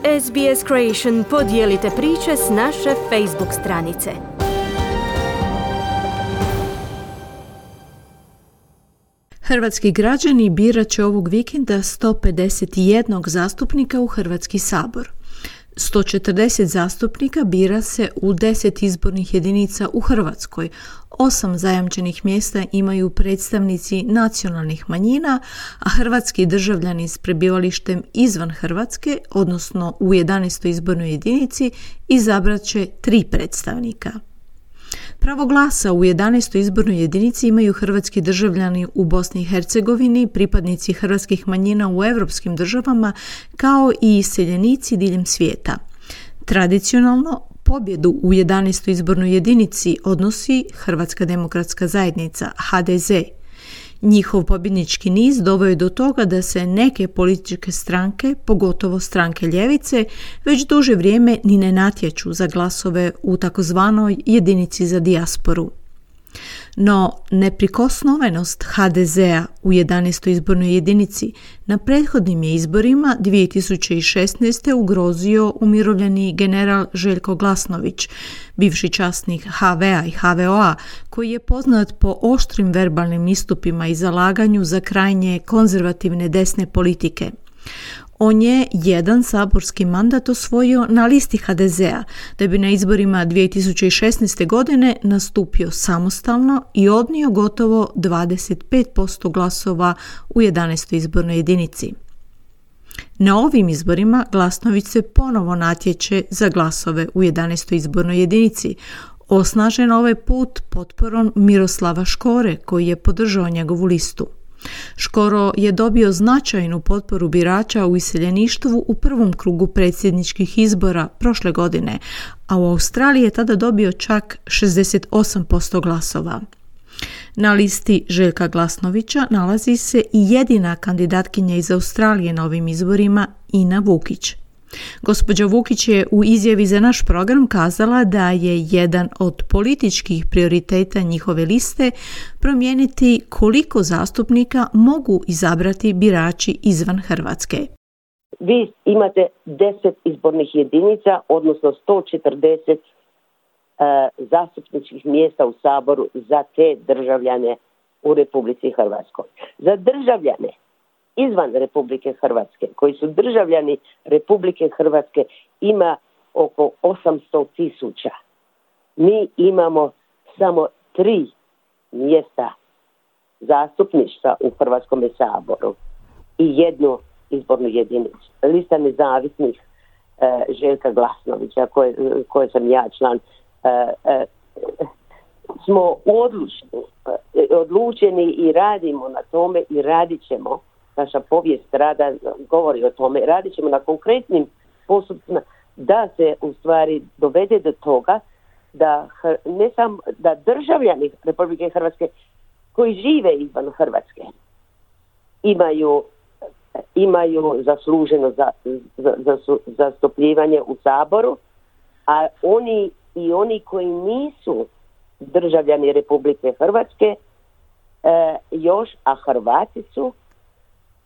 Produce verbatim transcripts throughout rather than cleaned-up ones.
S B S Creation podijelite priče s naše Facebook stranice. Hrvatski građani birat će ovog vikenda sto pedeset jedan zastupnika u Hrvatski sabor. sto četrdeset zastupnika bira se u deset izbornih jedinica u Hrvatskoj. Osam zajamčenih mjesta imaju predstavnici nacionalnih manjina, a hrvatski državljani s prebivalištem izvan Hrvatske, odnosno u jedanaestoj izbornoj jedinici, izabrat će tri predstavnika. Pravo glasa u jedanaestoj izbornoj jedinici imaju hrvatski državljani u Bosni i Hercegovini, pripadnici hrvatskih manjina u europskim državama, kao i iseljenici diljem svijeta. Tradicionalno, pobjedu u jedanaestoj izbornoj jedinici odnosi Hrvatska demokratska zajednica, H D Z. Njihov pobjednički niz doveo je do toga da se neke političke stranke, pogotovo stranke ljevice, već duže vrijeme ni ne natječu za glasove u takozvanoj jedinici za dijasporu. No, neprikosnovenost H D Z-a u jedanaestoj izbornoj jedinici na prethodnim je izborima dvije tisuće šesnaeste. ugrozio umirovljeni general Željko Glasnović, bivši časnik H V-a i H V O-a, koji je poznat po oštrim verbalnim istupima i zalaganju za krajnje konzervativne desne politike. On je jedan saborski mandat osvojio na listi H D Z-a, da bi na izborima dvije tisuće šesnaeste. godine nastupio samostalno i odnio gotovo dvadeset pet posto glasova u jedanaestoj izbornoj jedinici. Na ovim izborima Glasnović se ponovo natječe za glasove u jedanaestoj izbornoj jedinici, osnažen ovaj put potporom Miroslava Škore, koji je podržao njegovu listu. Škoro je dobio značajnu potporu birača u iseljeništvu u prvom krugu predsjedničkih izbora prošle godine, a u Australiji je tada dobio čak šezdeset osam posto glasova. Na listi Željka Glasnovića nalazi se i jedina kandidatkinja iz Australije na ovim izborima, Ina Vukić. Gospođa Vukić je u izjavi za naš program kazala da je jedan od političkih prioriteta njihove liste promijeniti koliko zastupnika mogu izabrati birači izvan Hrvatske. Vi imate deset izbornih jedinica, odnosno sto četrdeset uh, zastupničkih mjesta u Saboru za te državljane u Republici Hrvatskoj. Za državljane izvan Republike Hrvatske, koji su državljani Republike Hrvatske, ima oko osamsto tisuća. Mi imamo samo tri mjesta zastupništva u Hrvatskom saboru i jednu izbornu jedinicu. Lista nezavisnih e, Željka Glasnovića, koje, koje sam ja član, e, e, smo odlučni, e, odlučeni i radimo na tome i radit ćemo. Naša povijest rada govori o tome. Radit ćemo na konkretnim postupcima da se u stvari dovede do toga da ne samo da državljani Republike Hrvatske koji žive izvan Hrvatske imaju imaju zasluženo za, za, za, zastupljivanje u Saboru, a oni i oni koji nisu državljani Republike Hrvatske e, još, a Hrvati su,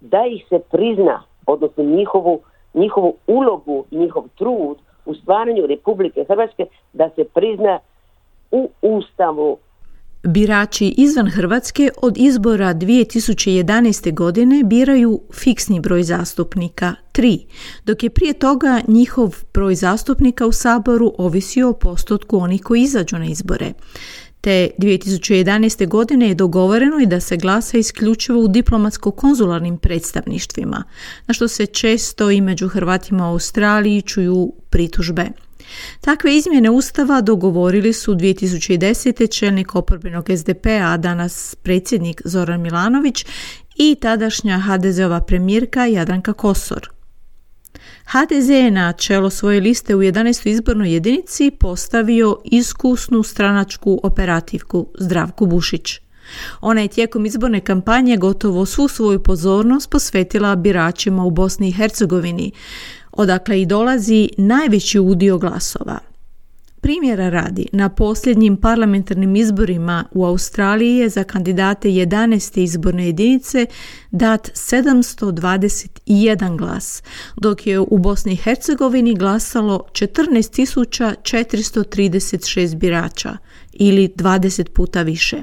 da ih se prizna, odnosno njihovu, njihovu ulogu, njihov trud u stvaranju Republike Hrvatske, da se prizna u Ustavu. Birači izvan Hrvatske od izbora dvije tisuće jedanaeste. godine biraju fiksni broj zastupnika, tri, dok je prije toga njihov broj zastupnika u Saboru ovisio o postotku onih koji izađu na izbore. Te dvije tisuće jedanaeste. godine je dogovoreno i da se glasa isključivo u diplomatsko-konzularnim predstavništvima, na što se često i među Hrvatima u Australiji čuju pritužbe. Takve izmjene Ustava dogovorili su dvije tisuće desete. čelnik oporbenog S D P-a, a danas predsjednik Zoran Milanović, i tadašnja H D Z-ova premijerka Jadranka Kosor. H D Z je na čelo svoje liste u jedanaestoj izbornoj jedinici postavio iskusnu stranačku operativku Zdravku Bušić. Ona je tijekom izborne kampanje gotovo svu svoju pozornost posvetila biračima u Bosni i Hercegovini, odakle i dolazi najveći udio glasova. Primjera radi, na posljednjim parlamentarnim izborima u Australiji je za kandidate jedanaeste izborne jedinice dat sedamsto dvadeset jedan glas, dok je u Bosni i Hercegovini glasalo četrnaest tisuća četiristo trideset šest birača, ili dvadeset puta više.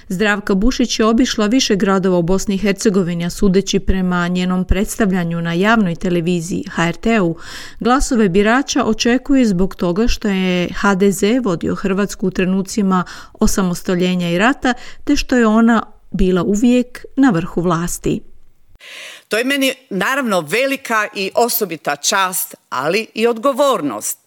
Zdravka Bušić je obišla više gradova u Bosni i Hercegovini, a sudeći prema njenom predstavljanju na javnoj televiziji ha er te-u, glasove birača očekuje zbog toga što je ha de ze vodio Hrvatsku u trenucima osamostaljenja i rata, te što je ona bila uvijek na vrhu vlasti. To je meni naravno velika i osobita čast, ali i odgovornost.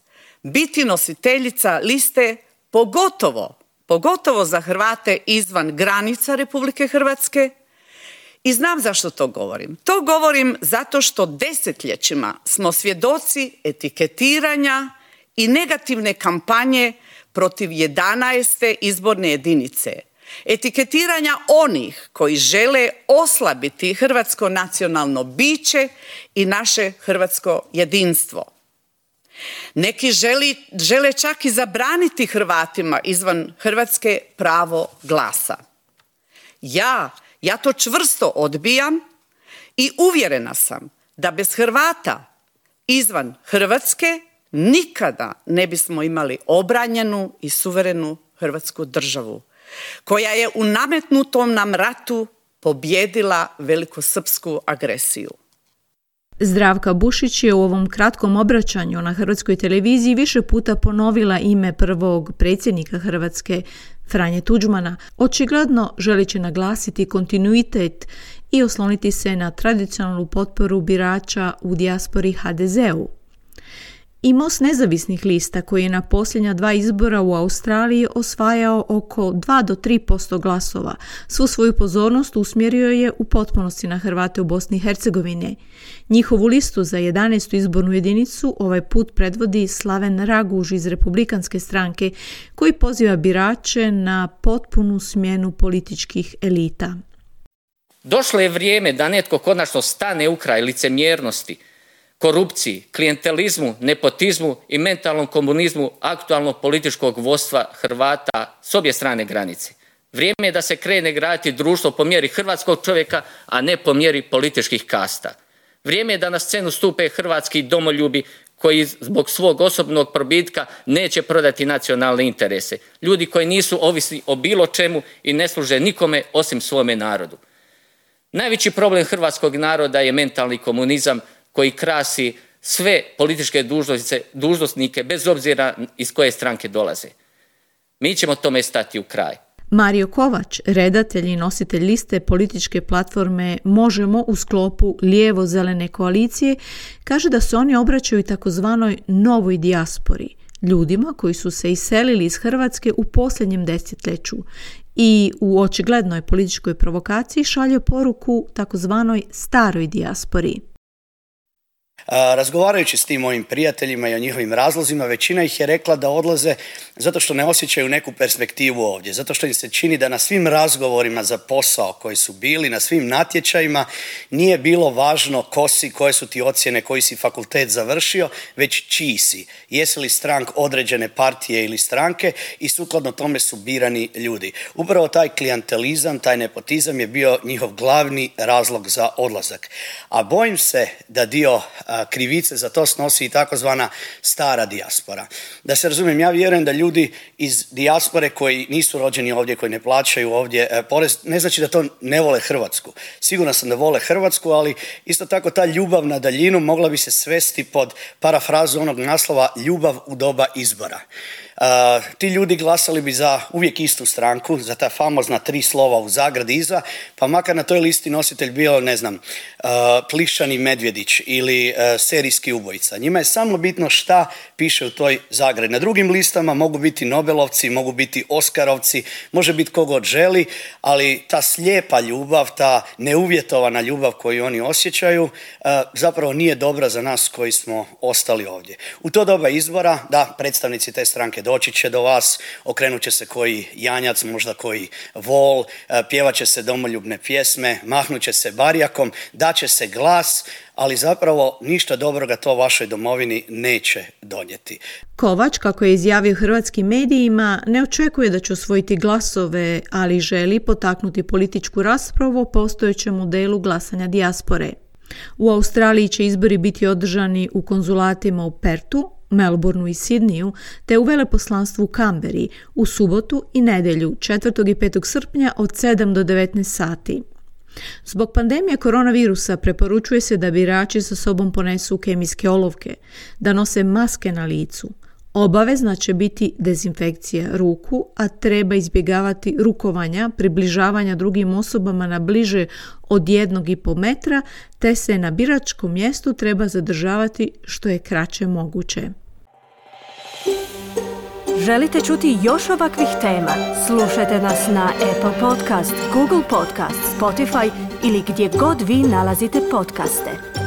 Biti nositeljica liste, pogotovo pogotovo za Hrvate izvan granica Republike Hrvatske. I znam zašto to govorim. To govorim zato što desetljećima smo svjedoci etiketiranja i negativne kampanje protiv jedanaeste izborne jedinice. Etiketiranja onih koji žele oslabiti hrvatsko nacionalno biće i naše hrvatsko jedinstvo. Neki želi, žele čak i zabraniti Hrvatima izvan Hrvatske pravo glasa. Ja, ja to čvrsto odbijam i uvjerena sam da bez Hrvata izvan Hrvatske nikada ne bismo imali obranjenu i suverenu Hrvatsku državu, koja je u nametnutom nam ratu pobijedila velikosrpsku agresiju. Zdravka Bušić je u ovom kratkom obraćanju na Hrvatskoj televiziji više puta ponovila ime prvog predsjednika Hrvatske, Franje Tuđmana, očigledno želeći naglasiti kontinuitet i osloniti se na tradicionalnu potporu birača u dijaspori ha de ze-u. I Most nezavisnih lista, koji je na posljednja dva izbora u Australiji osvajao oko dva do tri posto glasova, svu svoju pozornost usmjerio je u potpunosti na Hrvate u Bosni i Hercegovini. Njihovu listu za jedanaestu izbornu jedinicu ovaj put predvodi Slaven Raguž iz Republikanske stranke, koji poziva birače na potpunu smjenu političkih elita. Došlo je vrijeme da netko konačno stane u kraj licemjernosti, korupciji, klijentelizmu, nepotizmu i mentalnom komunizmu aktualnog političkog vodstva Hrvata s obje strane granice. Vrijeme je da se krene graditi društvo po mjeri hrvatskog čovjeka, a ne po mjeri političkih kasta. Vrijeme je da na scenu stupe hrvatski domoljubi koji zbog svog osobnog probitka neće prodati nacionalne interese. Ljudi koji nisu ovisni o bilo čemu i ne služe nikome osim svome narodu. Najveći problem hrvatskog naroda je mentalni komunizam koji krasi sve političke dužnosnike bez obzira iz koje stranke dolaze. Mi ćemo tome stati u kraj. Mario Kovač, redatelj i nositelj liste političke platforme Možemo u sklopu lijevo-zelene koalicije, kaže da se oni obraćaju takozvanoj novoj dijaspori, ljudima koji su se iselili iz Hrvatske u posljednjem desetljeću i u očiglednoj političkoj provokaciji šalje poruku takozvanoj staroj dijaspori. Razgovarajući s tim mojim prijateljima i o njihovim razlozima, većina ih je rekla da odlaze zato što ne osjećaju neku perspektivu ovdje, zato što im se čini da na svim razgovorima za posao koji su bili, na svim natječajima, nije bilo važno ko si, koje su ti ocjene, koji si fakultet završio, već čiji si. Jesi li strank određene partije ili stranke i sukladno tome su birani ljudi. Upravo taj klijentelizam, taj nepotizam je bio njihov glavni razlog za odlazak. A bojim se da dio krivice za to snosi i takozvana stara dijaspora. Da se razumijem, ja vjerujem da ljudi iz dijaspore koji nisu rođeni ovdje, koji ne plaćaju ovdje porez, ne znači da to ne vole Hrvatsku. Sigurno sam da vole Hrvatsku, ali isto tako ta ljubav na daljinu mogla bi se svesti pod parafrazu onog naslova ljubav u doba izbora. Uh, ti ljudi glasali bi za uvijek istu stranku, za ta famozna tri slova u zagradi iza, pa makar na toj listi nositelj bio, ne znam, uh, Plišani Medvjedić ili uh, serijski ubojica. Njima je samo bitno šta piše u toj zagradi. Na drugim listama mogu biti Nobelovci, mogu biti Oskarovci, može biti kogod želi, ali ta slijepa ljubav, ta neuvjetovana ljubav koju oni osjećaju, uh, zapravo nije dobra za nas koji smo ostali ovdje. U to doba izbora, da, predstavnici te stranke doći će do vas, okrenut će se koji janjac, možda koji vol, pjevat će se domoljubne pjesme, mahnut će se barjakom, daće se glas, ali zapravo ništa dobroga to vašoj domovini neće donijeti. Kovač, kako je izjavio hrvatskim medijima, ne očekuje da će osvojiti glasove, ali želi potaknuti političku raspravu o postojećem modelu glasanja dijaspore. U Australiji će izbori biti održani u konzulatima u Pertu, Melbourneu i Sidneyu, te u veleposlanstvu u Kamberi u subotu i nedjelju četvrtog i petog srpnja od sedam do devetnaest sati. Zbog pandemije koronavirusa preporučuje se da birači sa sobom ponesu kemijske olovke, da nose maske na licu. Obavezna će biti dezinfekcija ruku, a treba izbjegavati rukovanja, približavanja drugim osobama na bliže od jednog i pol metra, te se na biračkom mjestu treba zadržavati što je kraće moguće. Želite čuti još ovakvih tema? Slušajte nas na Apple Podcast, Google Podcast, Spotify ili gdje god vi nalazite podcaste.